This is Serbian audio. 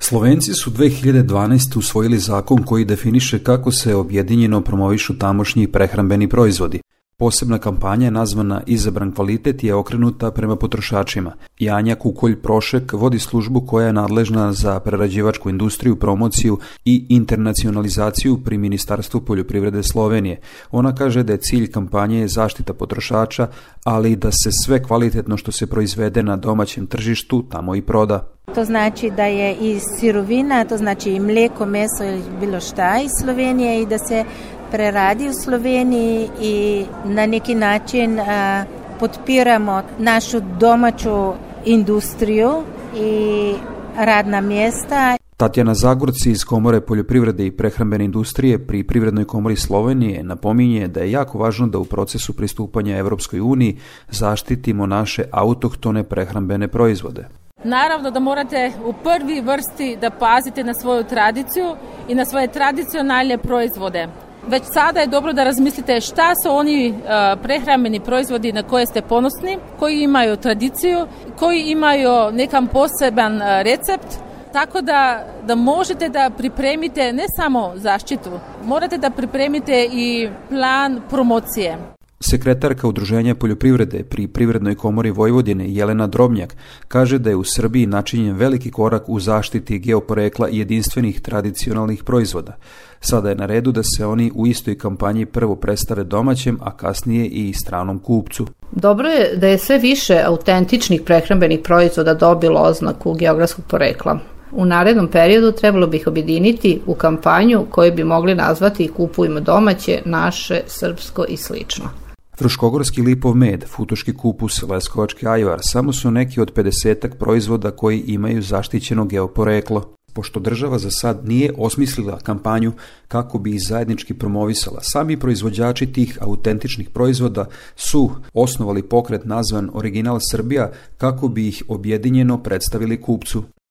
Slovenci su 2012. usvojili zakon koji definiše kako se objedinjeno promovišu tamošnji prehrambeni proizvodi. Posebna kampanja nazvana Izabran kvalitet je okrenuta prema potrošačima. Janja Kukolj-Prošek vodi službu koja je nadležna za prerađivačku industriju, promociju i internacionalizaciju pri Ministarstvu poljoprivrede Slovenije. Ona kaže da je cilj kampanje zaštita potrošača, ali da se sve kvalitetno što se proizvede na domaćem tržištu tamo i proda. To znači da je i sirovina, to znači i mleko, meso ili bilo šta iz Slovenije i da se preradi u Sloveniji i na neki način podpiramo našu domaću industriju i radna mjesta. Tatjana Zagorci iz Komore poljoprivrede i prehrambene industrije pri Privrednoj komori Slovenije napominje da je jako važno da u procesu pristupanja Evropskoj uniji zaštitimo naše autohtone prehrambene proizvode. Naravno da morate u prvi vrsti da pazite na svoju tradiciju i na svoje tradicionalne proizvode. Već sada je dobro da razmislite šta su oni prehrambeni proizvodi na koje ste ponosni, koji imaju tradiciju, koji imaju nekam poseban recept, tako da možete da pripremite ne samo zaštitu, morate da pripremite i plan promocije. Sekretarka Udruženja poljoprivrede pri Privrednoj komori Vojvodine Jelena Drobnjak kaže da je u Srbiji načinjen veliki korak u zaštiti geoporekla i jedinstvenih tradicionalnih proizvoda. Sada je na redu da se oni u istoj kampanji prvo predstave domaćem, a kasnije i stranom kupcu. Dobro je da je sve više autentičnih prehrambenih proizvoda dobilo oznaku geografskog porekla. U narednom periodu trebalo bi ih objediniti u kampanju koju bi mogli nazvati Kupujmo domaće, naše, srpsko i slično. Fruškogorski lipov med, futoški kupus, leskovački ajvar samo su neki od 50 proizvoda koji imaju zaštićeno geoporeklo. Pošto država za sad nije osmislila kampanju kako bi ih zajednički promovisala, sami proizvođači tih autentičnih proizvoda su osnovali pokret nazvan Original Srbija kako bi ih objedinjeno predstavili kupcu.